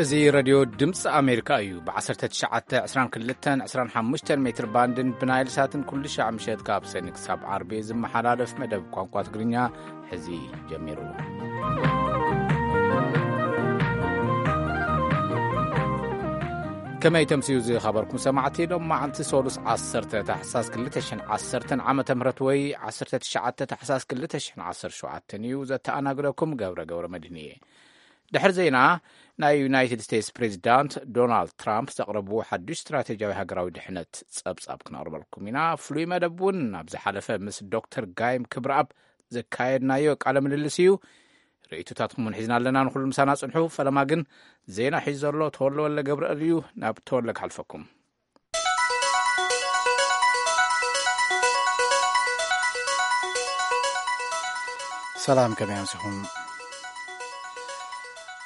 እዚ ሬድዮ ድምፂ ኣሜሪካ እዩ። ብ1922-25 ሜትር ባንድን ብናይል ሳትን ኩሉ ሻዕ ምሸት ካብ ሰኒ ክሳብ ዓርቢ ዝመሓላለፍ መደብ ቋንቋ ትግርኛ ሕዚ ጀሚሩ። ከመይ ተምስዩ ዝኸበርኩም ሰማዕቲ? ሎም መዓልቲ ሶሉስ 10 ታሕሳስ 2010 ዓመተ ምህረት ወይ 19 ታሕሳስ 2017 እዩ። ዘተኣናግደኩም ገብረ ገብረ መድህን እየ። ድሕሪ ዜና፣ ናይ ዩናይትድ ስቴትስ ፕሬዚዳንት ዶናልድ ትራምፕ ዘቕረብዎ ሓዱሽ ስትራቴጂያዊ ሃገራዊ ድሕነት ጸብጻብ ክነቕርበልኩም ኢና። ፍሉይ መደብ እውን ኣብ ዝሓለፈ ምስ ዶክተር ጋይም ክብረኣብ ዘካየድናዮ ቃለ ምልልስ እዩ። ርእይቶታትኩም እውን ሒዝና ኣለና። ንኹሉ ምሳና ጽንሑ። ፈለማ ግን ዜና ሒዙ ዘሎ ተወልደ ወልደ ገብርኤል እዩ። ናብ ተወልደ ክሓልፈኩም። ሰላም፣ ከመይ ኣምሲኹም?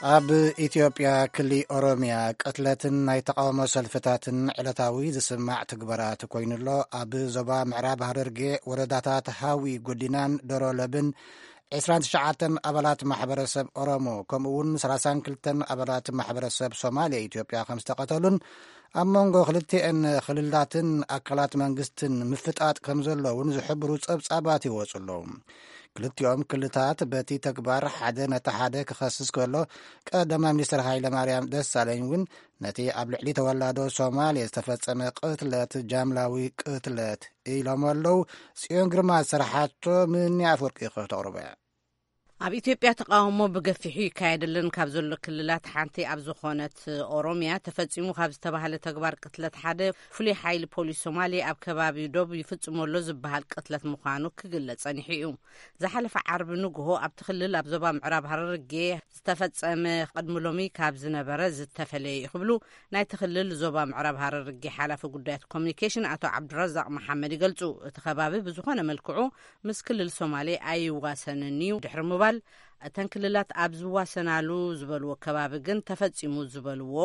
ኣብ ኢትዮጵያ ክሊ ኦሮሚያ ቅትለትን ናይ ተቃውሞ ሰልፍታትን ዕለታዊ ዝስማዕ ትግበራት ኮይኑሎ። ኣብ ዞባ ምዕራብ ሃረርጌ ወረዳታት ሃዊ፣ ጉዲናን ዶሮለብን 29 ኣባላት ማሕበረሰብ ኦሮሞ ከምኡ እውን 32 ኣባላት ማሕበረሰብ ሶማሌ ኢትዮጵያ ከም ዝተቐተሉን ኣብ መንጎ ክልቲኤን ክልላትን ኣካላት መንግስትን ምፍጣጥ ከም ዘለውን ዝሕብሩ ጸብጻባት ይወጹ ኣለዉ። ክልቲኦም ክልታት በቲ ተግባር ሓደ ነቲ ሓደ ክኸስስ ከሎ፣ ቀዳማይ ሚኒስትር ሃይለ ማርያም ደሳለኝ እውን ነቲ ኣብ ልዕሊ ተወላዶ ሶማሌ ዝተፈጸመ ቅትለት ጃምላዊ ቅትለት ኢሎም ኣለዉ። ጽዮን ግርማ ዝሰርሓቶ ምንያ ኣፈወርቂ ከተቕርቦ እያ። ኣብ ኢትዮጵያ ተቃውሞ ብገፊሑ ይካየደለን ካብ ዘሎ ክልላት ሓንቲ ኣብ ዝኾነት ኦሮሚያ ተፈጺሙ ካብ ዝተባህለ ተግባር ቅትለት ሓደ፣ ፍሉይ ሓይሊ ፖሊስ ሶማሌ ኣብ ከባቢ ዶብ ይፍጽሞ ኣሎ ዝበሃል ቅትለት ምዃኑ ክግለጽ ጸኒሑ እዩ። ዝሓለፈ ዓርቢ ንግሆ ኣብቲ ክልል ኣብ ዞባ ምዕራብ ሃረርጌ ዝተፈጸመ ቅድሚ ሎሚ ካብ ዝነበረ ዝተፈለየ እዩ ክብሉ ናይቲ ክልል ዞባ ምዕራብ ሃረርጌ ሓላፊ ጉዳያት ኮሚኒኬሽን ኣቶ ዓብዱረዛቕ መሓመድ ይገልጹ። እቲ ከባቢ ብዝኾነ መልክዑ ምስ ክልል ሶማሌ ኣይዋሰንን እዩ ድሕሪ ምባል፣ እተን ክልላት ኣብ ዝዋሰናሉ ዝበልዎ ከባቢ ግን ተፈጺሙ ዝበልዎ፣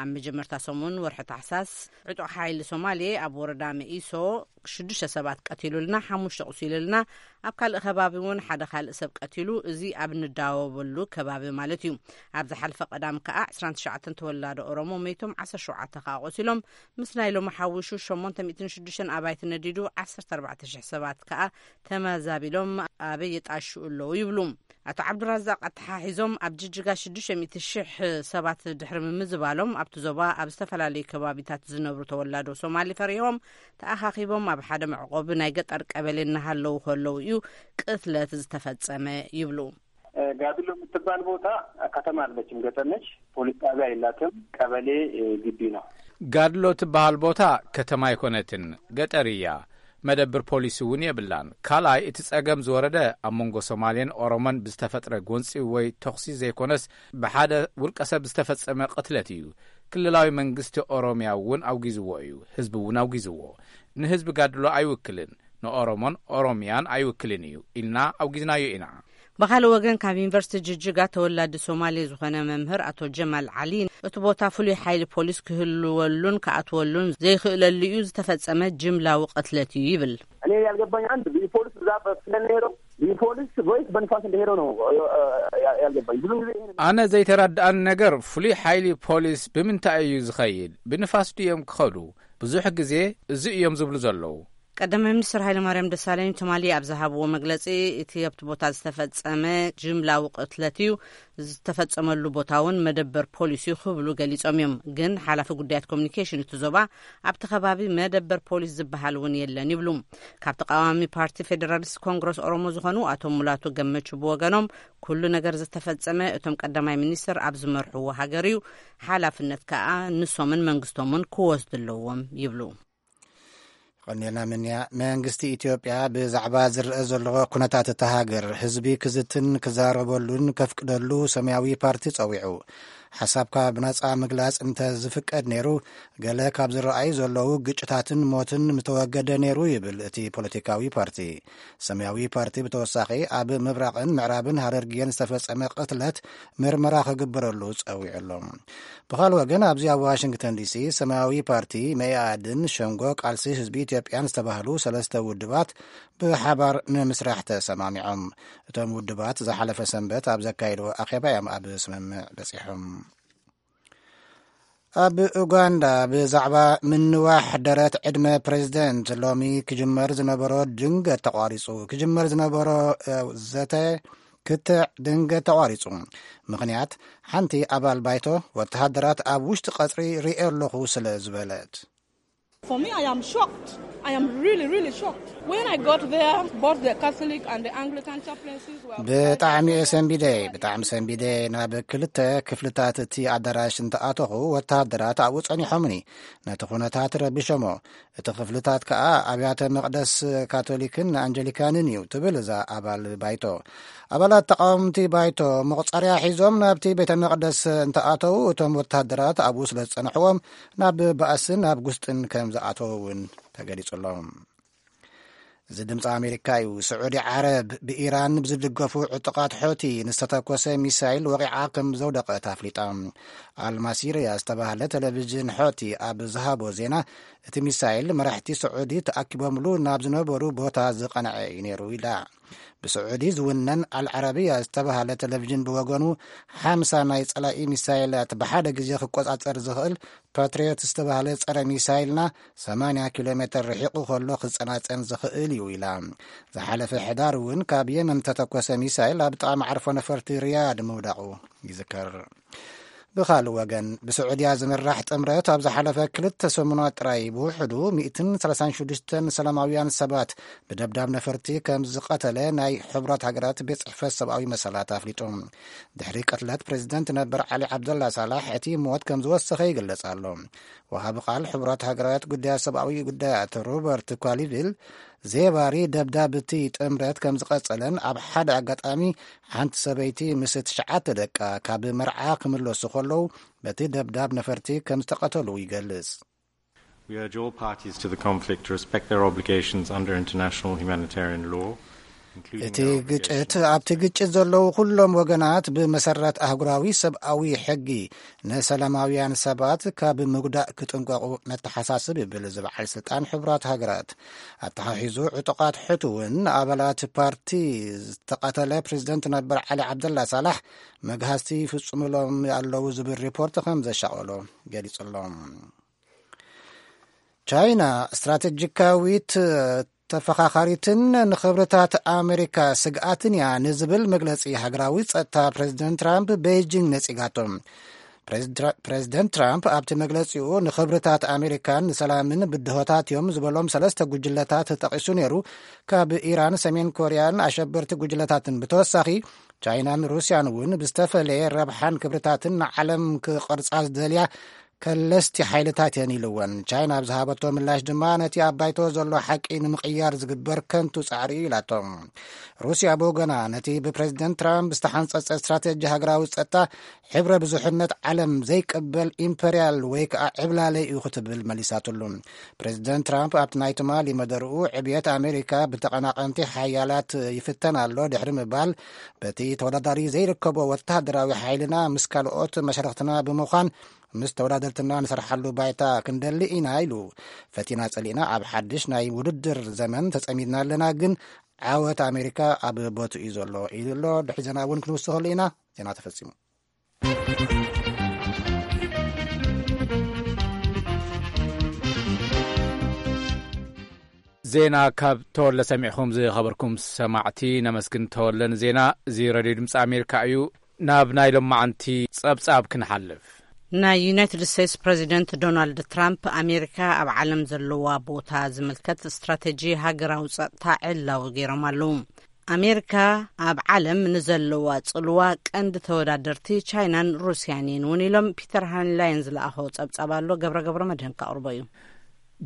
ኣብ መጀመርታ ሰሙን ወርሒ ታሕሳስ ዕጡቕ ሓይሊ ሶማሌ ኣብ ወረዳ መኢሶ ሽዱሽተ ሰባት ቀቲሉልና፣ ሓሙሽተ ቁሲሉልና፣ ኣብ ካልእ ከባቢ እውን ሓደ ካልእ ሰብ ቀቲሉ፣ እዚ ኣብ ንዳወበሉ ከባቢ ማለት እዩ። ኣብ ዝሓለፈ ቀዳም ከኣ 29 ተወላዶ ኦሮሞ መይቶም፣ 17 ከኣ ቆሲሎም፣ ምስ ናይ ሎሚ ሓዊሱ 806 ኣባይቲ ነዲዱ፣ 14,000 ሰባት ከኣ ተመዛቢሎም ኣበይ ይጣሽኡ ኣለዉ ይብሉ። ኣቶ ዓብዱራዛቅ ኣተሓሒዞም፣ ኣብ ጅጅጋ 600,000 ሰባት ድሕሪ ምምዝባሎም፣ ኣብቲ ዞባ ኣብ ዝተፈላለዩ ከባቢታት ዝነብሩ ተወላዶ ሶማሊ ፈሪሆም ተኣኻኺቦም ኣብ ሓደ መዕቆቢ ናይ ገጠር ቀበሌ እናሃለዉ ከለዉ እዩ ቅትለት ዝተፈጸመ ይብሉ። ጋድሎ የምትባል ቦታ ከተማ አለችም፣ ገጠር ነች። ፖሊስ ጣቢያ የላትም። ቀበሌ ግቢ ነው። ጋድሎ ትበሃል ቦታ ከተማ ኣይኮነትን፣ ገጠር እያ። መደብር ፖሊስ እውን የብላን። ካልኣይ፣ እቲ ጸገም ዝወረደ ኣብ መንጎ ሶማሌን ኦሮሞን ብዝተፈጥረ ጎንጺ ወይ ተኹሲ ዘይኮነስ፣ ብሓደ ውልቀ ሰብ ዝተፈጸመ ቅትለት እዩ። ክልላዊ መንግስቲ ኦሮሚያ እውን ኣውጊዝዎ እዩ። ህዝቢ እውን ኣውጊዝዎ። ንህዝቢ ጋድሎ ኣይውክልን፣ ንኦሮሞን ኦሮሚያን ኣይውክልን እዩ ኢልና ኣውጊዝናዮ ኢና። ብኻልእ ወገን፣ ካብ ዩኒቨርሲቲ ጅጅጋ ተወላዲ ሶማሌ ዝኾነ መምህር ኣቶ ጀማል ዓሊ፣ እቲ ቦታ ፍሉይ ሓይሊ ፖሊስ ክህልወሉን ክኣትወሉን ዘይክእለሉ እዩ ዝተፈጸመ ጅምላዊ ቅትለት እዩ ይብል። እኔ ያልገባኝ አንድ ልዩ ፖሊስ ብዛት ስለሚሄደው ልዩ ፖሊስ ወይስ በንፋስ እንደሄደው ነው ያልገባኝ። ብዙ ጊዜ ይሄን ኣነ ዘይተረድኣኒ ነገር፣ ፍሉይ ሓይሊ ፖሊስ ብምንታይ እዩ ዝኸይድ? ብንፋስ ድዮም ክኸዱ? ብዙሕ ግዜ እዚ እዮም ዝብሉ ዘለዉ። ቀዳማይ ሚኒስትር ሃይለማርያም ደሳለኝ ትማሊ ኣብ ዝሃብዎ መግለጺ፣ እቲ ኣብቲ ቦታ ዝተፈጸመ ጅምላዊ ቅትለት እዩ፣ ዝተፈጸመሉ ቦታ እውን መደበር ፖሊስ እዩ ክብሉ ገሊጾም እዮም። ግን ሓላፊ ጉዳያት ኮሚኒኬሽን እቲ ዞባ፣ ኣብቲ ከባቢ መደበር ፖሊስ ዝበሃል እውን የለን ይብሉ። ካብ ተቃዋሚ ፓርቲ ፌዴራሊስት ኮንግረስ ኦሮሞ ዝኾኑ ኣቶ ሙላቱ ገመቹ ብወገኖም፣ ኩሉ ነገር ዝተፈጸመ እቶም ቀዳማይ ሚኒስትር ኣብ ዝመርሕዎ ሃገር እዩ፣ ሓላፍነት ከኣ ንሶምን መንግስቶምን ክወስዱ ኣለዎም ይብሉ። ቀኒልና ምንያ። መንግስቲ ኢትዮጵያ ብዛዕባ ዝረአ ዘሎ ኩነታት እታ ሃገር ህዝቢ ክዝትን ክዛረበሉን ከፍቅደሉ ሰማያዊ ፓርቲ ጸዊዑ። ሓሳብካ ብነጻ ምግላጽ እንተ ዝፍቀድ ነይሩ፣ ገለ ካብ ዝረኣዩ ዘለዉ ግጭታትን ሞትን ምተወገደ ነይሩ ይብል እቲ ፖለቲካዊ ፓርቲ። ሰማያዊ ፓርቲ ብተወሳኺ ኣብ ምብራቕን ምዕራብን ሃረርጌን ዝተፈጸመ ቅትለት ምርመራ ክግበረሉ ጸዊዑ ኣሎ። ብኻልእ ወገን፣ ኣብዚ ኣብ ዋሽንግተን ዲሲ ሰማያዊ ፓርቲ፣ መኢኣድን ሸንጎ ቃልሲ ህዝቢ ኢትዮጵያን ዝተባህሉ ሰለስተ ውድባት ብሓባር ንምስራሕ ተሰማሚዖም። እቶም ውድባት ዝሓለፈ ሰንበት ኣብ ዘካየድዎ ኣኼባ እዮም ኣብ ስምምዕ በጺሖም። ኣብ ኡጋንዳ ብዛዕባ ምንዋሕ ደረት ዕድመ ፕሬዝደንት ሎሚ ክጅመር ዝነበሮ ድንገት ተቋሪጹ። ክጅመር ዝነበሮ፣ እ፣ ዘተ ክትዕ ድንገት ተቋሪጹ። ምኽንያት፣ ሓንቲ ኣባል ባይቶ ወተሃደራት ኣብ ውሽጢ ቀጽሪ ርእየ ኣለኹ ስለ ዝበለት። For me, I am shocked. I am really, really shocked. When I got there, both the Catholic and the Anglican chaplaincies were ብጣዕሚ እየ ሰንቢደ፣ ብጣዕሚ ሰንቢደ። ናብ ክልተ ክፍልታት እቲ ኣዳራሽ እንተኣተኹ፣ ወተሃደራት ኣብኡ ጸኒሖምኒ። ነቲ ኩነታት ረቢሾሞ። እቲ ክፍልታት ከኣ ኣብያተ መቕደስ ካቶሊክን ኣንጀሊካንን እዩ፣ ትብል እዛ ኣባል ባይቶ። ኣባላት ተቓወምቲ ባይቶ መቑጸርያ ሒዞም ናብቲ ቤተ መቕደስ እንተኣተዉ፣ እቶም ወተሃደራት ኣብኡ ስለ ዝጸንሕዎም፣ ናብ ባእስን ናብ ጉስጥን ከም ዝኣተዉ እውን ተገሊጹ ኣሎ። እዚ ድምፂ ኣሜሪካ እዩ። ስዑዲ ዓረብ ብኢራን ብዝድገፉ ዕጡቓት ሖቲ ንዝተተኮሰ ሚሳይል ወቒዓ ከም ዘውደቐት ኣፍሊጣ። ኣልማሲርያ ዝተባህለ ቴሌቪዥን ሖቲ ኣብ ዝሃቦ ዜና፣ እቲ ሚሳይል መራሕቲ ስዑዲ ተኣኪቦምሉ ናብ ዝነበሩ ቦታ ዝቐንዐ እዩ ነይሩ ኢላ። ብስዑዲ ዝውነን ኣልዓረብያ ዝተባህለ ቴሌቪዥን ብወገኑ፣ ሓምሳ ናይ ጸላኢ ሚሳይላት ብሓደ ግዜ ክቆጻጸር ዝኽእል ፓትሪዮት ዝተባህለ ጸረ ሚሳይልና ሰማንያ ኪሎ ሜትር ርሒቑ ከሎ ክጸናጸን ዝኽእል እዩ ኢላ። ዝሓለፈ ሕዳር እውን ካብ የመን ተተኮሰ ሚሳይል ኣብ ጥቓ መዓርፎ ነፈርቲ ሪያድ ምውዳቑ ይዝከር። ብኻልእ ወገን፣ ብስዑድያ ዝምራሕ ጥምረት ኣብ ዝሓለፈ ክልተ ሰሙናት ጥራይ ብውሕዱ ሚእትን ሰላሳን ሽዱሽተን ሰላማውያን ሰባት ብደብዳብ ነፈርቲ ከም ዝቐተለ ናይ ሕቡራት ሃገራት ቤት ጽሕፈት ሰብኣዊ መሰላት ኣፍሊጡ። ድሕሪ ቅትለት ፕሬዚደንት ነበር ዓሊ ዓብደላ ሳላሕ፣ እቲ ሞት ከም ዝወሰኸ ይግለጽ ኣሎ። ወሃቢ ቃል ሕቡራት ሃገራት ጉዳያት ሰብኣዊ ጉዳያት ሮበርት ኳሊቪል፣ ዜባሪ ደብዳብ እቲ ጥምረት ከም ዝቐጸለን፣ ኣብ ሓደ ኣጋጣሚ ሓንቲ ሰበይቲ ምስ ትሽዓተ ደቃ ካብ መርዓ ክምለሱ ከለዉ በቲ ደብዳብ ነፈርቲ ከም ዝተቐተሉ ይገልጽ። We urge all parties to the conflict to respect their obligations under international humanitarian law, including እቲ their ግጭት፣ obligations ኣብቲ ግጭት ዘለዉ ኩሎም ወገናት ብመሰረት ኣህጉራዊ ሰብኣዊ ሕጊ ንሰላማውያን ሰባት ካብ ምጉዳእ ክጥንቀቑ ነተሓሳስብ፣ ይብል እዚ በዓል ስልጣን ሕቡራት ሃገራት። ኣተሓሒዙ፣ ዕጡቓት ሑቲ እውን ኣባላት ፓርቲ ዝተቐተለ ፕሬዚደንት ነበር ዓሊ ዓብደላ ሳላሕ መግሃስቲ ይፍጽሙሎም ኣለዉ ዝብል ሪፖርት ከም ዘሻቐሎ ገሊጹ ኣሎ። ቻይና ስትራቴጂካዊት ተፈኻኻሪትን ንኽብርታት ኣሜሪካ ስግኣትን እያ ንዝብል መግለጺ ሃገራዊ ጸጥታ ፕሬዚደንት ትራምፕ ቤይጂንግ ነጺጋቶ። ፕሬዚደንት ትራምፕ ኣብቲ መግለጺኡ፣ ንኽብርታት ኣሜሪካን ንሰላምን ብድሆታት እዮም ዝበሎም ሰለስተ ጉጅለታት ተጠቒሱ ነይሩ። ካብ ኢራን፣ ሰሜን ኮርያን ኣሸበርቲ ጉጅለታትን ብተወሳኺ፣ ቻይናን ሩስያን እውን ብዝተፈለየ ረብሓን ክብርታትን ንዓለም ክቐርጻ ዝደልያ ከለስቲ ሓይልታት እየን ኢልወን። ቻይና ኣብ ዝሃበቶ ምላሽ ድማ፣ ነቲ ኣብ ባይቶ ዘሎ ሓቂ ንምቕያር ዝግበር ከንቱ ጻዕሪ እዩ ኢላቶ። ሩስያ ብወገና፣ ነቲ ብፕሬዚደንት ትራምፕ ዝተሓንጸጸ ስትራቴጂ ሃገራዊ ጸጥታ፣ ሕብረ ብዙሕነት ዓለም ዘይቅበል ኢምፐርያል ወይ ከዓ ዕብላለ እዩ ክትብል መሊሳትሉ። ፕሬዚደንት ትራምፕ ኣብቲ ናይ ትማሊ መደርኡ፣ ዕብየት ኣሜሪካ ብተቐናቐንቲ ሓያላት ይፍተን ኣሎ ድሕሪ ምባል፣ በቲ ተወዳዳሪ ዘይርከቦ ወተሃደራዊ ሓይልና ምስ ካልኦት መሻርኽትና ብምዃን ምስ ተወዳደርትና ንሰርሓሉ ባይታ ክንደሊ ኢና ኢሉ። ፈቲና ጸሊእና ኣብ ሓድሽ ናይ ውድድር ዘመን ተጸሚድና ኣለና፣ ግን ዓወት ኣሜሪካ ኣብ ቦትኡ እዩ ዘሎ ኢሉ ኣሎ። ድሕሪ ዜና እውን ክንውስኸሉ ኢና። ዜና ተፈጺሙ። ዜና ካብ ተወለ ሰሚዕኹም ዝኸበርኩም ሰማዕቲ ነመስግን። ተወለ ንዜና። እዚ ሬድዮ ድምፂ ኣሜሪካ እዩ። ናብ ናይ ሎማዓንቲ ጸብጻብ ክንሓልፍ። ናይ ዩናይትድ ስቴትስ ፕሬዚደንት ዶናልድ ትራምፕ፣ ኣሜሪካ ኣብ ዓለም ዘለዋ ቦታ ዝምልከት ስትራቴጂ ሃገራዊ ጸጥታ ዕላዊ ገይሮም ኣለዉ። ኣሜሪካ ኣብ ዓለም ንዘለዋ ጽልዋ ቀንዲ ተወዳደርቲ ቻይናን ሩስያን እየን እውን ኢሎም፣ ፒተር ሃንላይን ዝለኣኾ ጸብጻብ ኣሎ። ገብረ ገብረ መድህን ከቕርቦ እዩ።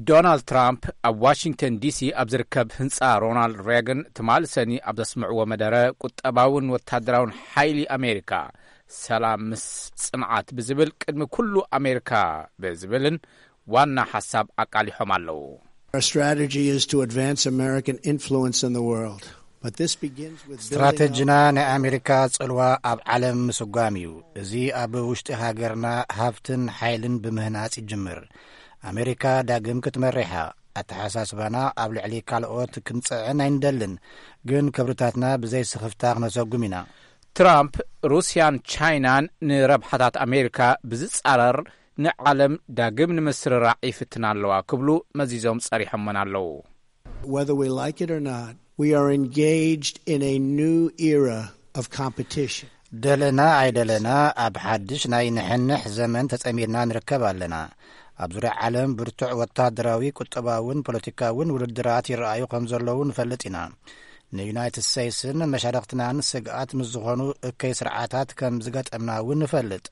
ዶናልድ ትራምፕ ኣብ ዋሽንግተን ዲሲ ኣብ ዝርከብ ህንጻ ሮናልድ ሬገን ትማሊ ሰኒ ኣብ ዘስምዕዎ መደረ፣ ቁጠባውን ወታደራውን ሓይሊ ኣሜሪካ፣ ሰላም ምስ ጽንዓት ብዝብል ቅድሚ ኩሉ ኣሜሪካ ብዝብልን ዋና ሓሳብ ኣቃሊሖም ኣለዉ። Our strategy is to advance American influence in the world. But this begins with building ስትራቴጂና ናይ ኣሜሪካ ጽልዋ ኣብ ዓለም ምስጓም እዩ። እዚ ኣብ ውሽጢ ሃገርና ሃብትን ሓይልን ብምህናጽ ይጅምር። ኣሜሪካ ዳግም ክትመርሕ እያ። ኣተሓሳስባና ኣብ ልዕሊ ካልኦት ክንጽዕን ኣይንደልን፣ ግን ክብርታትና ብዘይ ስኽፍታ ክነሰጉም ኢና። ትራምፕ፣ ሩስያን ቻይናን ንረብሓታት ኣሜሪካ ብዝጻረር ንዓለም ዳግም ንምስርራዕ ይፍትና ኣለዋ ክብሉ መዚዞም ጸሪሖመን ኣለዉ። Whether we like it or not, we are engaged in a new era of competition. ደለና ኣይደለና ኣብ ሓድሽ ናይ ንሕንሕ ዘመን ተጸሚድና ንርከብ ኣለና። ኣብ ዙርያ ዓለም ብርቱዕ ወታደራዊ፣ ቁጠባውን ፖለቲካውን ውድድራት ይረኣዩ ከም ዘለዉ ንፈልጥ ኢና። ንዩናይትድ ስቴትስን መሻርኽትናን ስግኣት ምስ ዝኾኑ እከይ ስርዓታት ከም ዝገጠምና እውን ንፈልጥ።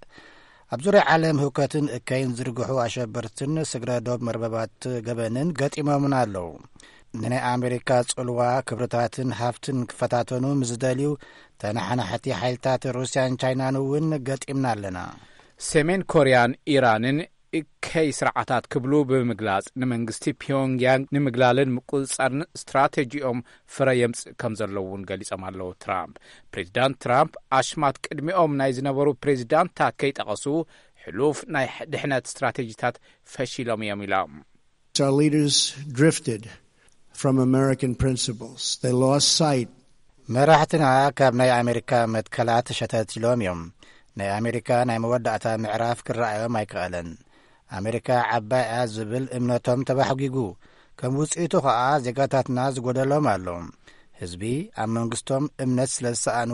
ኣብ ዙርያ ዓለም ህውከትን እከይን ዝርግሑ ኣሸበርትን ስግረ ዶብ መርበባት ገበንን ገጢሞምና ኣለዉ። ንናይ ኣሜሪካ ጽልዋ ክብርታትን ሃፍትን ክፈታተኑ ምስ ዝደልዩ ተነሓናሕቲ ሓይልታት ሩስያን ቻይናን እውን ገጢምና ኣለና። ሰሜን ኮርያን ኢራንን እከይ ስርዓታት ክብሉ ብምግላጽ፣ ንመንግስቲ ፒዮንግያንግ ንምግላልን ምቁጽጻርን ስትራቴጂኦም ፍረ የምጽእ ከም ዘለዉ እውን ገሊጾም ኣለዉ። ትራምፕ ፕሬዚዳንት ትራምፕ ኣሽማት ቅድሚኦም ናይ ዝነበሩ ፕሬዚዳንታት ከይጠቐሱ፣ ሕሉፍ ናይ ድሕነት ስትራቴጂታት ፈሺሎም እዮም ኢሎም። Our leaders drifted from American principles. They lost sight. መራሕትና ካብ ናይ ኣሜሪካ መትከላት ሸተት ኢሎም እዮም። ናይ ኣሜሪካ ናይ መወዳእታ ምዕራፍ ክረኣዮም ኣይከኣለን። ኣሜሪካ ዓባይ እያ ዝብል እምነቶም ተባሕጒጉ። ከም ውጽኢቱ ኸኣ ዜጋታትና ዝጎደሎም ኣሎ። ህዝቢ ኣብ መንግስቶም እምነት ስለ ዝሰኣኑ፣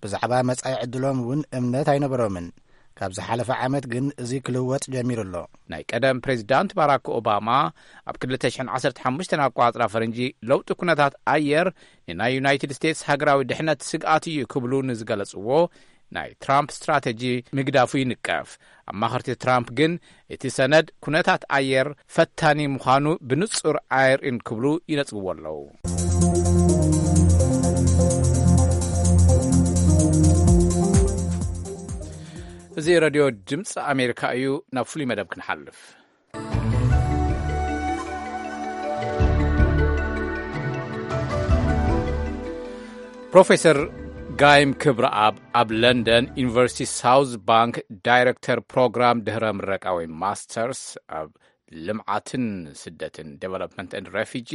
ብዛዕባ መጻኢ ዕድሎም እውን እምነት ኣይነበሮምን። ካብ ዝሓለፈ ዓመት ግን እዚ ክልወጥ ጀሚሩ ኣሎ። ናይ ቀደም ፕሬዚዳንት ባራክ ኦባማ፣ ኣብ ክልተ ሽሕን ዓሰርተ ሓሙሽተን ኣቋጽራ ፈረንጂ፣ ለውጢ ኩነታት ኣየር ንናይ ዩናይትድ ስቴትስ ሃገራዊ ድሕነት ስግኣት እዩ ክብሉ ንዝገለጽዎ ናይ ትራምፕ ስትራተጂ ምግዳፉ ይንቀፍ። ኣማኸርቲ ትራምፕ ግን፣ እቲ ሰነድ ኩነታት ኣየር ፈታኒ ምዃኑ ብንጹር ኣየርእን ክብሉ ይነጽግዎ ኣለዉ። እዚ ረድዮ ድምፂ ኣሜሪካ እዩ። ናብ ፍሉይ መደብ ክንሓልፍ። ፕሮፌሰር ጋይም ክብረኣብ፣ ኣብ ለንደን ዩኒቨርሲቲ ሳውዝ ባንክ ዳይረክተር ፕሮግራም ድህረ ምረቃ ወይ ማስተርስ ኣብ ልምዓትን ስደትን፣ ዴቨሎፕመንት ኤንድ ሬፊጂ፣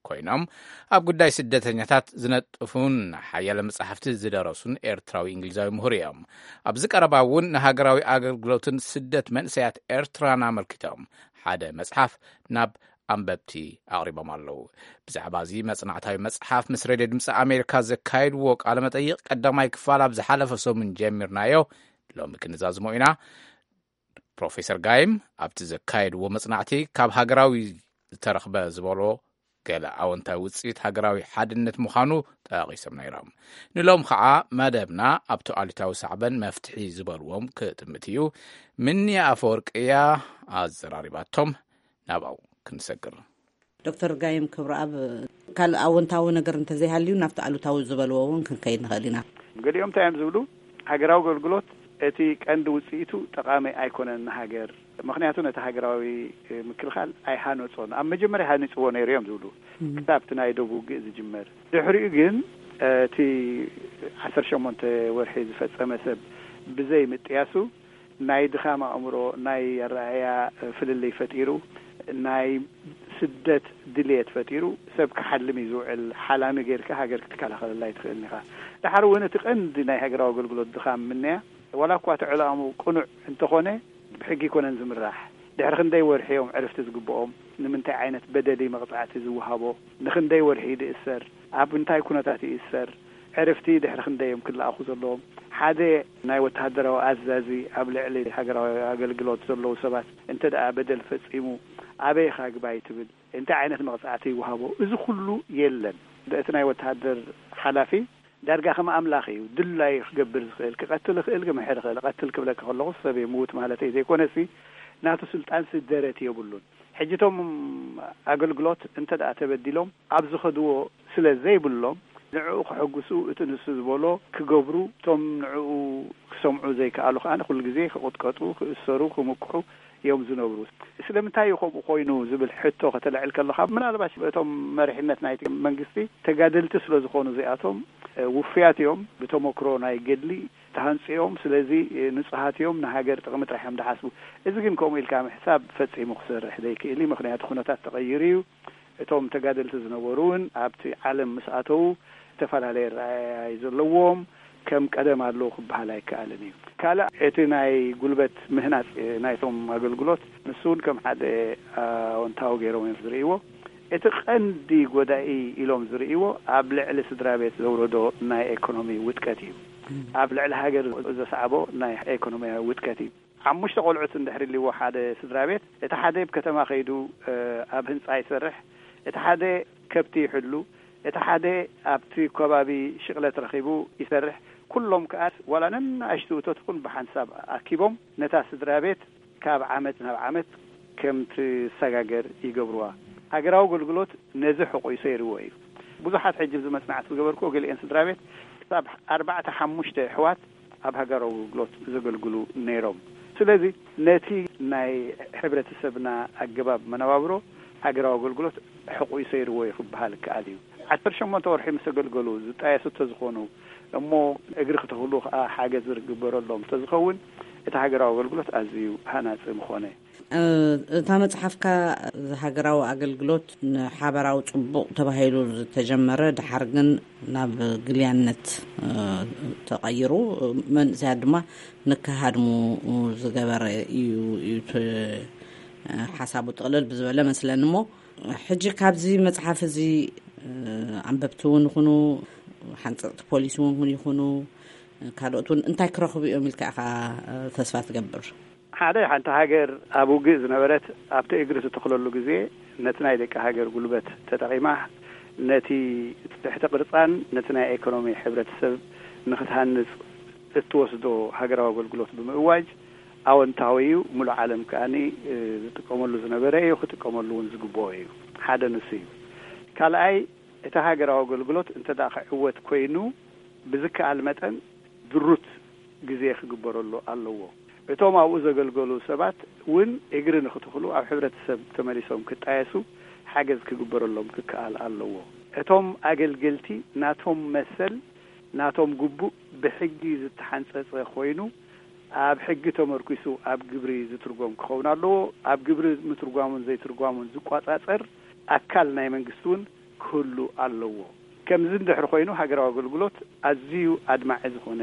ኮይኖም፣ ኣብ ጉዳይ ስደተኛታት ዝነጥፉን ሓያለ መጻሕፍቲ ዝደረሱን ኤርትራዊ እንግሊዛዊ ምሁር እዮም። ኣብዚ ቀረባ እውን ንሃገራዊ ኣገልግሎትን ስደት መንእሰያት ኤርትራን ኣመልኪቶም ሓደ መጽሓፍ ናብ ኣንበብቲ ኣቕሪቦም ኣለዉ። ብዛዕባ እዚ መጽናዕታዊ መጽሓፍ ምስ ሬድዮ ድምፂ ኣሜሪካ ዘካየድዎ ቃለ መጠይቕ ቀዳማይ ክፋል ኣብ ዝሓለፈ ሰሙን ጀሚርናዮ፣ ሎሚ ክንዛዝሞ ኢና። ፕሮፌሰር ጋይም ኣብቲ ዘካየድዎ መጽናዕቲ፣ ካብ ሃገራዊ ዝተረኽበ ዝበሎ ገለ ኣወንታዊ ውጽኢት ሃገራዊ ሓድነት ምዃኑ ጠቒሶም ነይሮም። ንሎም ኸዓ መደብና ኣብቲ ኣሉታዊ ሳዕበን መፍትሒ ዝበልዎም ክጥምት እዩ። ምንያ ኣፈወርቂ እያ ኣዘራሪባቶም። ናብኣው ክንሰግር። ዶክተር ጋይም ክብረኣብ፣ ካልእ ኣወንታዊ ነገር እንተዘይሃልዩ፣ ናብቲ ኣሉታዊ ዝበልዎ እውን ክንከይድ ንኽእል ኢና። ገሊኦም እንታይ እዮም ዝብሉ? ሃገራዊ ኣገልግሎት እቲ ቀንዲ ውፅኢቱ ጠቓሚ ኣይኮነን ንሃገር፣ ምኽንያቱ ነቲ ሃገራዊ ምክልኻል ኣይሃነፆን። ኣብ መጀመርያ ሃኒፅዎ ነይሩ እዮም ዝብሉ፣ ክሳብ እቲ ናይ ዶብ ውግእ ዝጅመር። ድሕሪኡ ግን እቲ ዓሰርተ ሸሞንተ ወርሒ ዝፈፀመ ሰብ ብዘይ ምጥያሱ፣ ናይ ድኻም ኣእምሮ፣ ናይ ኣረኣእያ ፍልልይ ፈጢሩ፣ ናይ ስደት ድልየት ፈጢሩ፣ ሰብ ክሓልም እዩ ዝውዕል። ሓላሚ ጌርካ ሃገር ክትከላኸለላ ኣይትኽእልን ኢኻ። ደሓር እውን እቲ ቀንዲ ናይ ሃገራዊ ኣገልግሎት ድኻም ምንያ፣ ዋላ እኳ እቲ ዕላምኡ ቅኑዕ እንተኾነ፣ ብሕጊ ኣይኮነን ዝምራሕ። ድሕሪ ክንደይ ወርሒ እዮም ዕርፍቲ ዝግብኦም? ንምንታይ ዓይነት በደል እዩ መቕጻዕቲ ዝወሃቦ? ንኽንደይ ወርሒ እዩ ዝእሰር? ኣብ እንታይ ኩነታት እዩ ዝእሰር? ዕርፍቲ ድሕሪ ክንደይ እዮም ክለኣኹ ዘለዎም? ሓደ ናይ ወተሃደራዊ ኣዛዚ ኣብ ልዕሊ ሃገራዊ ኣገልግሎት ዘለዉ ሰባት እንተ ደኣ በደል ፈጺሙ፣ ኣበይ ኢኻ ግባይ ትብል? እንታይ ዓይነት መቕጻዕቲ ይወሃቦ? እዚ ኩሉ የለን። እቲ ናይ ወተሃደር ሓላፊ ዳርጋ ከም ኣምላኽ እዩ። ድላዩ ክገብር ዝኽእል፣ ክቐትል ይኽእል፣ ክምሕር ይኽእል። ቀትል ክብለካ ከለኹ ሰብ ምዉት ማለተይ ዘይኮነሲ፣ ናቱ ስልጣንሲ ደረት የብሉን። ሕጂ እቶም ኣገልግሎት እንተ ደኣ ተበዲሎም፣ ኣብ ዝኸድዎ ስለ ዘይብሎም፣ ንዕኡ ከሐጉሱ፣ እቲ ንሱ ዝበሎ ክገብሩ፣ እቶም ንዕኡ ክሰምዑ ዘይከኣሉ ከኣ ኩሉ ግዜ ክቕጥቀጡ፣ ክእሰሩ፣ ክምክሑ እዮም ዝነብሩ። ስለምንታይ እዩ ከምኡ ኮይኑ ዝብል ሕቶ ከተልዕል ከለኻ፣ ምናልባሽ እቶም መሪሕነት ናይቲ መንግስቲ ተጋደልቲ ስለ ዝኾኑ እዚኣቶም፣ እ፣ ውፉያት እዮም። ብተመክሮ ናይ ገድሊ ተሃንጺኦም፣ ስለዚ፣ እ፣ ንጹሃት እዮም፣ ንሃገር ጥቕሚ ጥራሕ እዮም ዝሓስቡ። እዚ ግን ከምኡ ኢልካ ምሕሳብ ፈጺሙ ክሰርሕ ዘይክእል እዩ። ምኽንያቱ ኩነታት ተቐይሩ እዩ። እቶም ተጋደልቲ ዝነበሩ እውን ኣብቲ ዓለም ምስ ኣተዉ ዝተፈላለየ ረኣያ እዩ ዘለዎም። ከም ቀደም ኣለዉ ክበሃል ኣይከኣልን እዩ። ካልእ እቲ ናይ ጉልበት ምህናጽ ናይቶም ኣገልግሎት ንሱ እውን ከም ሓደ ኣወንታዊ ገይሮም እዮም ዝርእይዎ። እቲ ቀንዲ ጎዳኢ ኢሎም ዝርእይዎ ኣብ ልዕሊ ስድራ ቤት ዘውረዶ ናይ ኤኮኖሚ ውድቀት እዩ። ኣብ ልዕሊ ሃገር ዘስዓቦ ናይ ኤኮኖሚያዊ ውድቀት እዩ። ሓሙሽተ ቆልዑት እንድሕር ይልዎ ሓደ ስድራ ቤት፣ እቲ ሓደ ኣብ ከተማ ከይዱ ኣብ ህንጻ ይሰርሕ፣ እቲ ሓደ ከብቲ ይሕሉ፣ እቲ ሓደ ኣብቲ ከባቢ ሽቕለት ረኺቡ ይሰርሕ። ኩሎም ከኣ ዋላ ነናእሽቱ እቶት ኹን ብሓንሳብ ኣኪቦም ነታ ስድራ ቤት ካብ ዓመት ናብ ዓመት ከም ትሰጋገር ይገብርዋ። ሃገራዊ ኣገልግሎት ነዚ ሕቑይሶ ይርዎ እዩ። ብዙሓት ሕጂ ኣብዚ መጽናዕቲ ዝገበርኩ ገሊኤን ስድራ ቤት ክሳብ ኣርባዕተ ሓሙሽተ ኣሕዋት ኣብ ሃገራዊ ኣገልግሎት ዘገልግሉ ነይሮም። ስለዚ ነቲ ናይ ሕብረተሰብና ኣገባብ መነባብሮ ሃገራዊ ኣገልግሎት ሕቑይሶ ይርዎ እዩ ክበሃል ይከኣል እዩ። ዓሰርተ ሸሞንተ ወርሒ ምስ ኣገልገሉ ዝጣየሱ እንተዝኾኑ እሞ እግሪ ክትኽሉ ከዓ ሓገዝ ዝግበረሎም እንተዝኸውን እቲ ሃገራዊ ኣገልግሎት ኣዝዩ ሃናፂ ምኾነ። እታ መጽሓፍካ ሃገራዊ ኣገልግሎት ንሓበራዊ ጽቡቕ ተባሂሉ ዝተጀመረ፣ ድሓር ግን ናብ ግልያነት ተቐይሩ፣ መንእሰያት ድማ ንከሃድሙ ዝገበረ እዩ እዩ እቲ ሓሳቡ ጥቕልል ብዝበለ መስለኒ። እሞ ሕጂ ካብዚ መጽሓፍ እዚ ኣንበብቲ እውን ይኹኑ፣ ሓንጸጽቲ ፖሊሲ እውን ይኹኑ፣ ካልኦት እውን እንታይ ክረኽቡ እዮም ኢልካ ኢኻ ተስፋ ትገብር? ሓደ፣ ሓንቲ ሃገር ኣብ ውግእ ዝነበረት ኣብቲ እግሪ ዝተኽለሉ ግዜ ነቲ ናይ ደቂ ሃገር ጉልበት ተጠቒማ ነቲ ትሕቲ ቅርጻን ነቲ ናይ ኤኮኖሚ ሕብረተሰብ ንኽትሃንጽ እትወስዶ ሃገራዊ ኣገልግሎት ብምእዋጅ ኣወንታዊ እዩ። ሙሉእ ዓለም ከኣ ዝጥቀመሉ ዝነበረ እዩ፣ ክጥቀመሉ እውን ዝግብኦ እዩ። ሓደ ንሱ እዩ። ካልኣይ፣ እቲ ሃገራዊ ኣገልግሎት እንተ ደኣ ክዕወት ኮይኑ ብዝከኣል መጠን ድሩት ግዜ ክግበረሉ ኣለዎ። እቶም ኣብኡ ዘገልገሉ ሰባት እውን እግሪ ንኽትኽሉ ኣብ ሕብረተሰብ ተመሊሶም ክጣየሱ ሓገዝ ክግበረሎም ክከኣል ኣለዎ። እቶም ኣገልገልቲ ናቶም መሰል ናቶም ግቡእ ብሕጊ ዝተሓንጸጸ ኮይኑ ኣብ ሕጊ ተመርኲሱ ኣብ ግብሪ ዝትርጎም ክኸውን ኣለዎ። ኣብ ግብሪ ምትርጓሙን ዘይትርጓሙን ዝቋጻጸር ኣካል ናይ መንግስቲ እውን ክህሉ ኣለዎ። ከምዚ እንድሕር ኮይኑ ሃገራዊ ኣገልግሎት ኣዝዩ ኣድማዒ ዝኾነ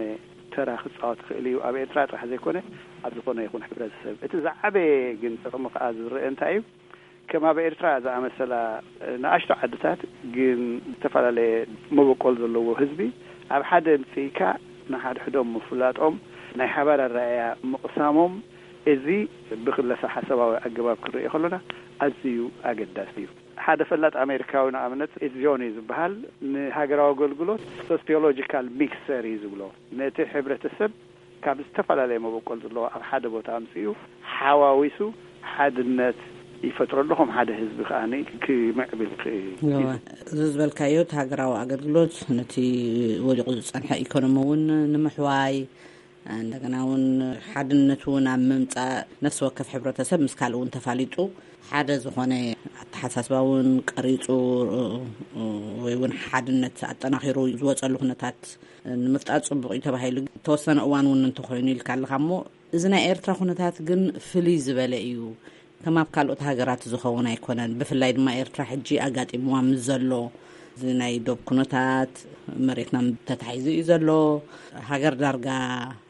ተራ ክጻወት ይኽእል እዩ፣ ኣብ ኤርትራ ጥራሕ ዘይኮነ ኣብ ዝኾነ ይኹን ሕብረተሰብ። እቲ ዝዓበየ ግን ጥቕሚ ከኣ ዝረአ እንታይ እዩ? ከም ኣብ ኤርትራ ዝኣመሰላ ንኣሽቱ ዓድታት ግን ዝተፈላለየ መበቆል ዘለዎ ህዝቢ ኣብ ሓደ ኣምጺእካ ንሓድሕዶም ምፍላጦም፣ ናይ ሓባር ኣረኣእያ ምቕሳሞም፣ እዚ ብክለሳ ሓሳባዊ ኣገባብ ክንርእዮ ከሎና ኣዝዩ ኣገዳሲ እዩ። ሓደ ፈላጥ ኣሜሪካዊ ንኣብነት ኤድ ጆን እዩ ዝበሃል፣ ንሃገራዊ ኣገልግሎት ሶሲዮሎጂካል ሚክሰር እዩ ዝብሎ። ነቲ ሕብረተሰብ ካብ ዝተፈላለየ መበቆል ዘለዎ ኣብ ሓደ ቦታ ኣምጺኡ ሓዋዊሱ ሓድነት ይፈጥረሉ፣ ከም ሓደ ህዝቢ ከኣ ክምዕብል ይኽእል። እወ፣ እዚ ዝበልካዮ እቲ ሃገራዊ ኣገልግሎት ነቲ ወዲቑ ዝጸንሐ ኢኮኖሚ እውን ንምሕዋይ፣ እንደገና እውን ሓድነት እውን ኣብ ምምጻእ ነፍሲ ወከፍ ሕብረተሰብ ምስ ካልእ እውን ተፋሊጡ ሓደ ዝኾነ ኣተሓሳስባ እውን ቀሪጹ ወይ እውን ሓድነት ኣጠናኺሩ ዝወጸሉ ኩነታት ንምፍጣር ጽቡቕ እዩ ተባሂሉ ተወሰነ እዋን እውን እንተኾይኑ ኢልካ ኣለኻ። እሞ እዚ ናይ ኤርትራ ኩነታት ግን ፍልይ ዝበለ እዩ። ከም ኣብ ካልኦት ሃገራት ዝኸውን ኣይኮነን። ብፍላይ ድማ ኤርትራ ሕጂ ኣጋጢምዋ ምስ ዘሎ እዚ ናይ ዶብ ኩነታት መሬትና ተታሒዙ እዩ ዘሎ። ሃገር ዳርጋ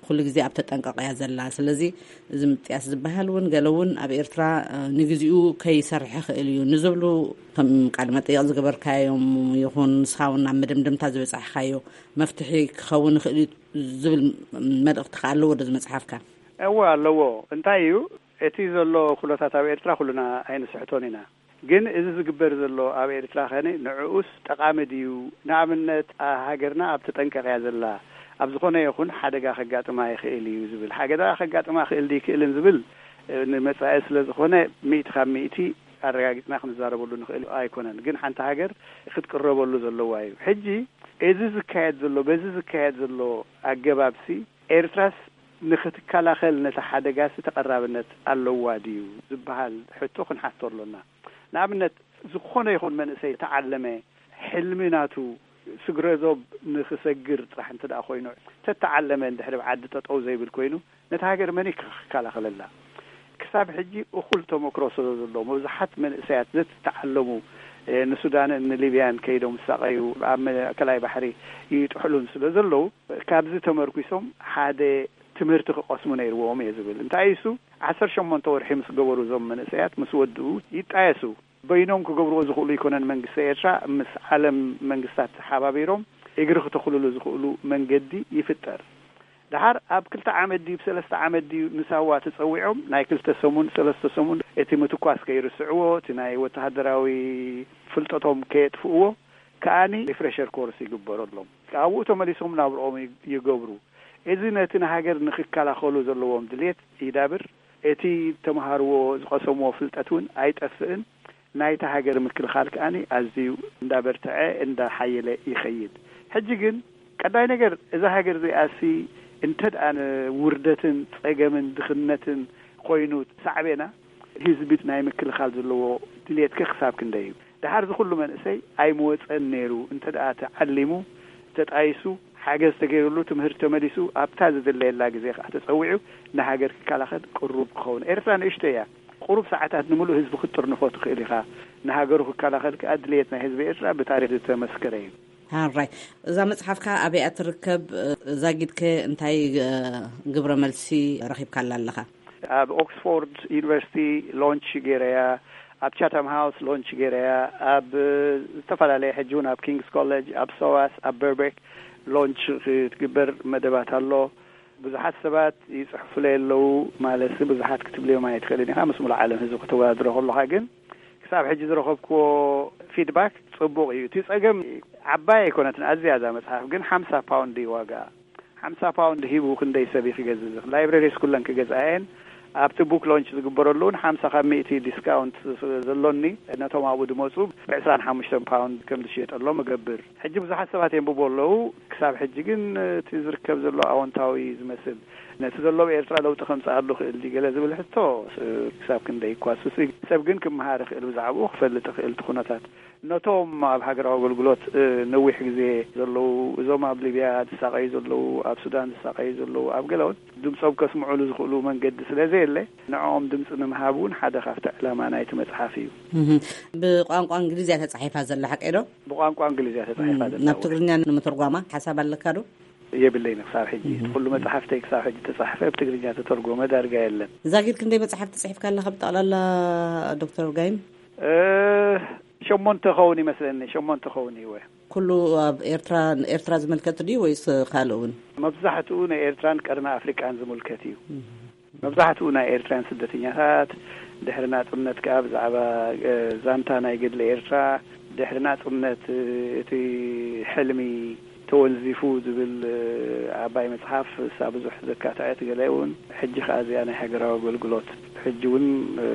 ኩሉ ግዜ ኣብ ተጠንቀቕ እያ ዘላ። ስለዚ እዚ ምጥያስ ዝበሃል እውን ገለ እውን ኣብ ኤርትራ፣ እ፣ ንግዚኡ ከይሰርሕ ይኽእል እዩ ንዝብሉ ከም ቃለ መጠይቕ ዝገበርካዮም ይኹን ንስኻ እውን ናብ መደምደምታ ዝበጻሕካዮ መፍትሒ ክኸውን ይኽእል እዩ ዝብል መልእኽቲ ከ ኣለዎ ዶ እዚ መጽሓፍካ? እወ ኣለዎ። እንታይ እዩ እቲ ዘሎ ኩነታት ኣብ ኤርትራ ኩልና ኣይንስሕቶን ኢና። ግን እዚ ዝግበር ዘሎ ኣብ ኤርትራ ኸነ ንዕኡስ ጠቓሚ ድዩ? ንኣብነት፣ ኣ-፣ ሃገርና ኣብ ተጠንቀቕ እያ ዘላ፣ ኣብ ዝኾነ ይኹን ሓደጋ ከጋጥማ ይኽእል እዩ ዝብል፣ ሓደጋ ከጋጥማ ይኽእል ድዩ ይክእልን ዝብል፣ እ፣ ንመጻኢ ስለ ዝኾነ ሚእቲ ካብ ሚእቲ ኣረጋጊጽና ክንዛረበሉ ንኽእል ኣይኮነን። ግን ሓንቲ ሃገር ክትቅረበሉ ዘለዋ እዩ። ሕጂ እዚ ዝካየድ ዘሎ፣ በዚ ዝካየድ ዘሎ ኣገባብሲ ኤርትራስ ንኽትከላኸል ነቲ ሓደጋሲ ተቐራብነት ኣለዋ ድዩ ዝበሃል ሕቶ ክንሓቶ ኣሎና። ንኣብነት፣ ዝኾነ ይኹን መንእሰይ ተዓለመ፣ ሕልሚ ናቱ ስግረ ዶብ ንኽሰግር ጥራሕ እንተ ደኣ ኮይኑ፣ ተተዓለመ እንድሕር ኣብ ዓዲ ጠጠው ዘይብል ኮይኑ፣ ነታ ሃገር መን እዩ ክከላኸለላ? ክሳብ ሕጂ እኹል ተመክሮ ስለ ዘለዎ፣ መብዛሓት መንእሰያት ዘተዓለሙ፣ እ፣ ንሱዳንን ንሊብያን ከይዶም ዝሳቐዩ፣ ኣብ ማእከላይ ባሕሪ ይጥሕሉን ስለ ዘለዉ፣ ካብዚ ተመርኲሶም ሓደ ትምህርቲ ክቐስሙ ነይርዎም እየ ዝብል። እንታይ እሱ፣ ዓሰርተ ሸሞንተ ወርሒ ምስ ገበሩ፣ እዞም መንእሰያት ምስ ወድኡ ይጣየሱ። በይኖም ክገብርዎ ዝኽእሉ ኣይኮነን መንግስቲ ኤርትራ፣ ምስ ዓለም መንግስታት ተሓባቢሮም እግሪ ክተኽልሉ ዝኽእሉ መንገዲ ይፍጠር። ደሓር ኣብ ክልተ ዓመት ድዩ፣ ብሰለስተ ዓመት ድዩ ንሳዋ ተጸዊዖም፣ ናይ ክልተ ሰሙን፣ ሰለስተ ሰሙን፣ እቲ ምትኳስ ከይርስዕዎ፣ እቲ ናይ ወተሃደራዊ ፍልጠቶም ከየጥፍእዎ፣ ከኣኒ ሪፍሬሸር ኮርስ ይግበረሎም። ካብኡ ተመሊሶም ናብርኦም ይ-፣ ይገብሩ። እዚ ነቲ ንሃገር ንክከላኸሉ ዘለዎም ድሌት ይዳብር። እቲ ተምሃርዎ ዝቐሰምዎ ፍልጠት እውን ኣይጠፍእን። ናይታ ሃገር ምክልኻል ከኣኒ ኣዝዩ እንዳበርትዐ እንዳሓየለ ይኸይድ። ሕጂ ግን ቀዳይ ነገር እዛ ሃገር እዚኣሲ እንተ ደኣ ንውርደትን ጸገምን ድኽነትን ኮይኑ ሳዕቤና፣ ህዝቢ ናይ ምክልኻል ዘለዎ ድሌትከ ክሳብ ክንደይ እዩ? ደሓር እዚ ኩሉ መንእሰይ ኣይምወጸን ነይሩ። እንተ ደኣ ተዓሊሙ፣ ተጣይሱ፣ ሓገዝ ተገይሩሉ፣ ትምህርቲ ተመሊሱ፣ ኣብታ ዝድለየላ ግዜ ከኣ ተጸዊዑ ንሃገር ክከላኸል ቅሩብ ክኸውን። ኤርትራ ንእሽቶ እያ። ቁሩብ ሰዓታት ንምሉእ ህዝቢ ክትጥርንፎ ትኽእል ኢኻ። ንሃገሩ ክከላኸል ከኣ ድልየት ናይ ህዝቢ ኤርትራ ብታሪኽ ዝተመስከረ እዩ። ሃራይ፣ እዛ መጽሓፍካ ኣበይ እያ ትርከብ? ዛጊድከ እንታይ፣ እ፣ ግብረ መልሲ ረኺብካላ ኣለኻ? ኣብ ኦክስፎርድ ዩኒቨርሲቲ ሎንች ገይረያ፣ ኣብ ቻታም ሃውስ ሎንች ገይረያ፣ ኣብ፣ እ፣ ዝተፈላለየ፣ ሕጂ እውን ኣብ ኪንግስ ኮሌጅ፣ ኣብ ሶዋስ፣ ኣብ በርቤክ ሎንች ክትግበር መደባት ኣሎ። ብዙሓት ሰባት ይጽሕፉለይ ኣለዉ፣ ማለት ብዙሓት ክትብልዮም ኣይትኽእልን ኢኻ፣ ምስ ሙሉእ ዓለም ህዝቢ ከተወዳድሮ ከለኻ። ግን ክሳብ ሕጂ ዝረኸብክዎ ፊድባክ ጽቡቕ እዩ። እቲ ጸገም ዓባይ ኣይኮነትን፣ ኣዝያ እዛ መጽሓፍ ግን ሓምሳ ፓውንድ እዩ ዋጋ። ሓምሳ ፓውንድ ሂቡ ክንደይ ሰብ እዩ ክገዝእ ዝኽእል? ላይብረሪስ ኩለን ክገዝኣ እየን። ኣብቲ ቡክ ሎንች ዝግበረሉ እውን ሓምሳ ካብ ሚእቲ ዲስካውንት ዘሎኒ፣ ነቶም ኣብኡ ዝመጹ ብዕስራን ሓሙሽተን ፓውንድ ከም ዝሽየጠሎም እገብር። ሕጂ ብዙሓት ሰባት የንብቡ ኣለዉ። ክሳብ ሕጂ ግን እቲ ዝርከብ ዘሎ ኣወንታዊ ዝመስል፣ ነቲ ዘሎ ኣብ ኤርትራ ለውጢ ከምጽኣሉ ክእል ድዩ ገለ ዝብል ሕቶ፣ ስ-፣ ክሳብ ክንደይ እኳ ሱስ ሰብ ግን ክመሃር ይኽእል፣ ብዛዕባኡ ክፈልጥ ይኽእል፣ እቲ ኩነታት። ነቶም ኣብ ሃገራዊ ኣገልግሎት፣ እ፣ ነዊሕ ግዜ ዘለዉ፣ እዞም ኣብ ሊብያ ዝሳቐዩ ዘለዉ፣ ኣብ ሱዳን ዝሳቐዩ ዘለዉ፣ ኣብ ገለ እውን ድምጾም ከስምዑሉ ዝኽእሉ መንገዲ ስለ ዘየለ፣ ንዕኦም ድምጺ ንምሃብ እውን ሓደ ካብቲ ዕላማ ናይቲ መጽሓፍ እዩ። እህ፣ ብቋንቋ እንግሊዝ እያ ተጻሒፋ ዘላ፣ ሓቀይ ዶ? ብቋንቋ እንግሊዝ እያ ተጻሒፋ እም፣ ዘላ። ናብ ትግርኛ ንምትርጓማ ሓሳብ ኣለካ ዶ? የብለይን ክሳብ ሕጂ። እህ። እቲ ኩሉ መጽሓፍተይ ክሳብ ሕጂ ተጻሕፈ፣ ብትግርኛ ተተርጎመ ዳርጋ የለን። ዛጊድ ክንደይ መጽሓፍቲ ጽሒፍካ ኣለኻ ብጠቕላላ ዶክተር ጋይም? እ፣ ሸሞንተ ኸውን ይመስለኒ፣ ሸሞንተ ኸውን እወ። ኩሉ ኣብ ኤርትራ፣ ኤርትራ ዝምልከት ድዩ ወይስ ካልእ እውን? መብዛሕትኡ ንኤርትራን ቀርኒ ኣፍሪቃን ዝምልከት እዩ። እህ። መብዛሕትኡ ናይ ኤርትራውያን ስደተኛታት፣ ድሕሪ ናጽነት ከኣ ብዛዕባ፣ እ፣ ዛንታ ናይ ገድሊ ኤርትራ፣ ድሕሪ ናጽነት፣ እ፣ እቲ ሕልሚ ተወንዚፉ ዝብል፣ እ፣ ዓባይ መጽሓፍ፣ እሳ ብዙሕ ዘካትዐት፣ ገለ እውን ሕጂ ከኣ እዚኣ ናይ ሃገራዊ ኣገልግሎት፣ ሕጂ እውን፣ እ፣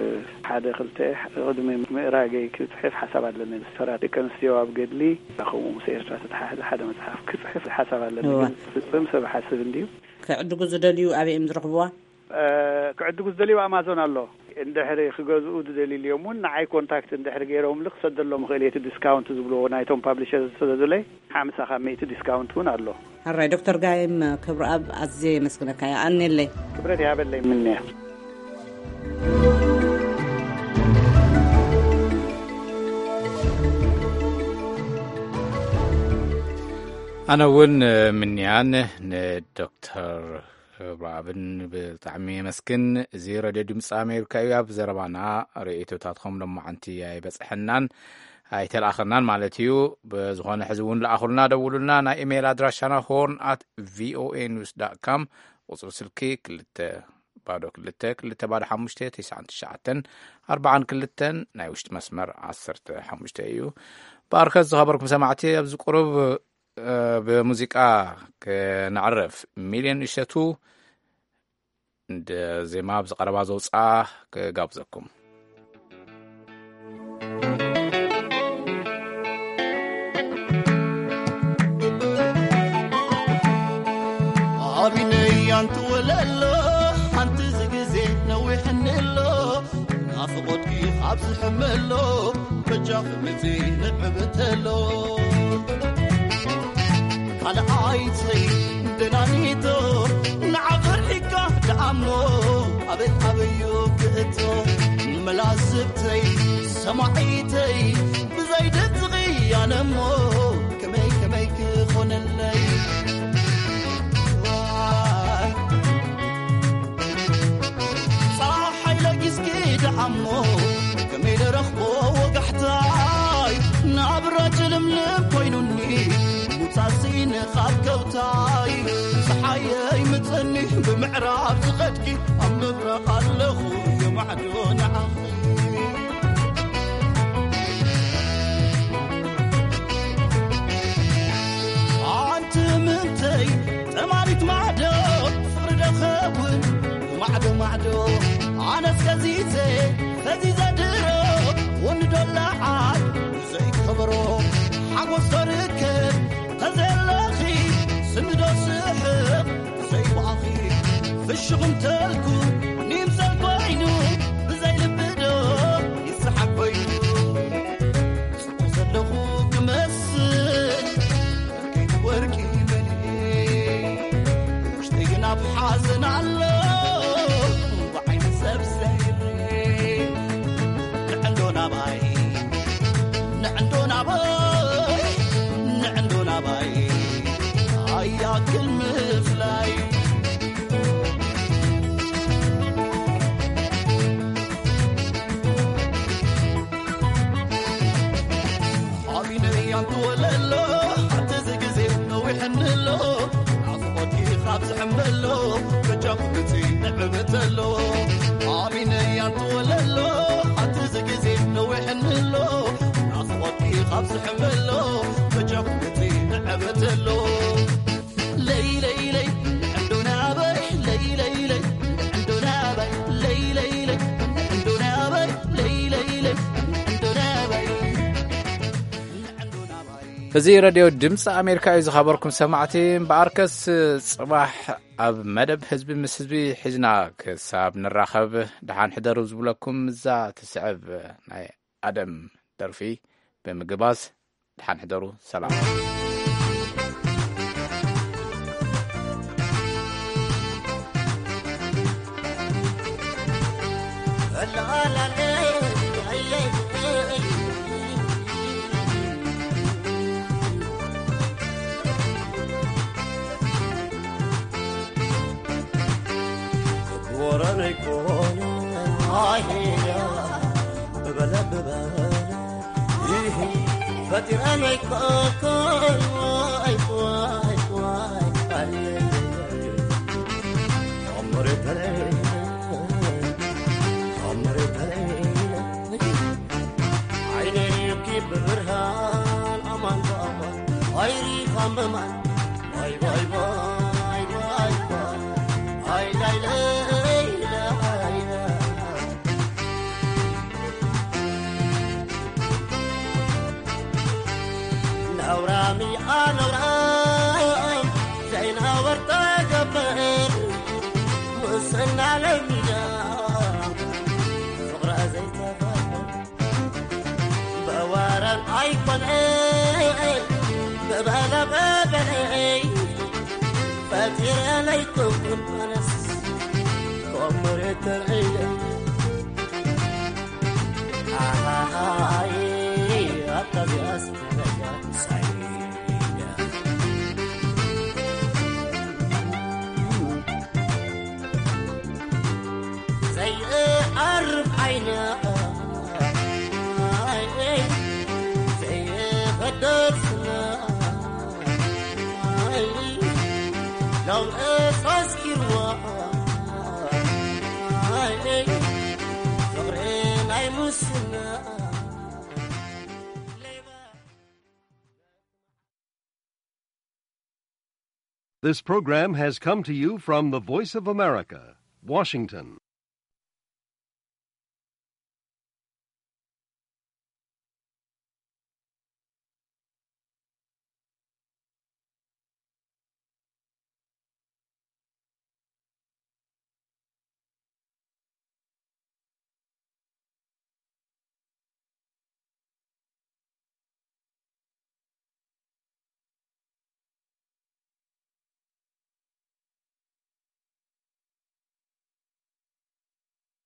ሓደ ክልተ ቅድሚ ምእራገይ ክጽሕፍ ሓሳብ ኣለኒ። ብሰራት ደቂ ኣንስትዮ ኣብ ገድሊ፣ ከምኡ ምስ ኤርትራ ተተሓሕዘ ሓደ መጽሓፍ ክጽሕፍ ሓሳብ ኣለኒ። እዋ። ግን ክፍጽም ሰብ ሓስብ እንድዩ። ክዕድጉ ዝደልዩ ኣበይ እዮም ዝረኽብዋ? እ፣ ክዕድጉ ዝደልዩ ኣማዞን ኣሎ። እንድሕሪ ክገዝኡ ዝደልዩ እዮም እውን ንዓይ ኮንታክት እንድሕሪ ገይሮምሉ ክሰደሎም እኽእል እየ። እቲ ዲስካውንት ዝብልዎ ናይቶም ፓብሊሸር ዝሰደዱለይ ሓምሳ ካብ ሚእቲ ዲስካውንት እውን ኣሎ። ሕራይ ዶክተር ጋይም ክብረኣብ ኣዝየ የመስግነካ። የቐንየለይ። ክብረት ይሃበለይ ምንያ። ኣነ እውን ምንያን ንዶክተር እብራብን ብጣዕሚ የመስግን። እዚ ረድዮ ድምፂ ኣሜሪካ እዩ። ኣብ ዘረባና ርእይቶታትኩም ሎማዓንቲ ኣይበፅሐናን ኣይተላእኸናን ማለት እዩ። ብዝኾነ ሕዚ እውን ለኣኹልና፣ ደውሉልና። ናይ ኢሜይል ኣድራሻና ሆርን ኣት ቪኦኤ ኒውስ ዳት ካም፣ ቁፅሪ ስልኪ ክልተ ባዶ ክልተ ክልተ ባዶ ሓሙሽተ ትሽዓን ትሽዓተን ኣርባዓን ክልተን፣ ናይ ውሽጢ መስመር ዓሰርተ ሓሙሽተ እዩ። ባርከት ዝኸበርኩም ሰማዕቲ፣ ኣብዚ ቁሩብ እ፣ ብሙዚቃ ክነዕርፍ። ሚልዮን እሸቱ እንደ ዜማ ኣብዚ ቀረባ ዘውፅኣ ክጋብዘኩም። ኣብነይ ኣንቲ ወለሎ፣ ሓንቲ ዝግዜ ነዊሕኒ ኣሎ። ናፍቖትኪ ካብ ዝሕመሎ፣ በጃኺ ምጺ ንዕብተሎ። ካልኣይተይ ደናኒቶ፣ ንዓፈር ሒካ ደኣሞ። ኣበይ ኣበዩ ክእቶ መላስብተይ ሰማዒተይ ብዘይ ድምፂ ቅያነ እሞ ከመይ ከመይ ክኾነለይ? ዋይ፣ ፀሓይ ለጊስኪ ደዓሞ ከመይ ደረኽቦ ወጋሕታይ ናብራ ጭልምልም ኮይኑኒ ሙፃሲን ካብ ከውታይ ፀሓየይ ምፀኒ ብምዕራብ ዝኸድኪ ኣብ ምብራቕ ኣለኹ የማዕዶ ንዓኺ። ኣንቲ ምንተይ ጠማሪት ማዕዶ ፍቕሪ ዶ ኸውን ማዕዶ ማዕዶ ኣነስ ከዚዘ ፈዚዘ ድሮ ወንዶ ለዓል ዘይከበሮ ሓጎስ ዶ ርከብ ተዘለኺ ስንዶ ስሕቕ ዘይባኺ ፍሽኽ እንተልኩ ንይምሰል ኮይኑ ብዘይ ልቢ ዶ ይስሓብ ኮይኑ ጽቡቕ ዘለኹ ክመስል ከይትወርቂ በሊ ውሽጠይ ግን ኣብ ሓዘን ኣሎ ብዓይኒ ሰብ ዘይርኢ ንዕንዶ ናባይ ንዕንዶ ናባይ ንዕንዶ ናባይ ኣያክል ምፍላይ ሓቢነይ ኣንትወለሎ ኣቲ እዚ ግዜ ነዊሕኒ ኣሎ ናፍቆትኪ ካብ ዝሕመሎ በጃኹ ግዜ ንዕበተሎ ሓቢነይ ኣንትወለሎ ኣቲ እዚ ግዜ ነዊሕኒ ኣሎ ናፍቆትኪ ካብ ዝሕመሎ በጃኹ ግዜ ንዕበተሎ ለይ ለይ ለይ ንዕንዶ ናበይ ለይ ለይ ለይ ንዕንዶ ናበይ ለይ ለይ ለይ ንዕንዶ ናበይ ለይ ለይ ለይ ንዕንዶ ናበይ እዚ ረድዮ ድምፂ ኣሜሪካ እዩ። ዝኸበርኩም ሰማዕቲ እምበኣርከስ ፅባሕ ኣብ መደብ ህዝቢ ምስ ህዝቢ ሒዝና ክሳብ ንራኸብ ደሓን ሕደሩ ዝብለኩም እዛ ትስዕብ ናይ ኣደም ደርፊ ብምግባዝ ደሓን ሕደሩ። ሰላም። ወረነይ ኮነ ኣይሄዳ ብበለ ብበለ ይህ ፈጢረን ኣይኮንኩን ዋይ ዋይ ዋይ ኣየ ኣምሬተለይ ኣምሬተለይ ዓይነይኪ ብብርሃን ኣማን ብኣማን ኣይሪኻም ብማን ባይ ባይ ባይ ባይ ባይ ኣይ ላይ ለይ ለይ ነውራሚ ኣነውራም ዘይናወር ተገብር ሙስና ለሚዳ ፍቕራ ዘይተፈር በወረን ኣይኮነን ብበለበበለይ ፈጢረለይ ኩንኩን ኣነስ ኮምሬተር እየ ኣሃሃይ ኣታ ዚኣስ ተበጃ ሳይዳ ዘይዓርብ ዓይና ዘይፈደር ስና ሎም እሳስኪርዋ ፍቕሪ ናይ ሙስና This program has come to you from the Voice of America, Washington.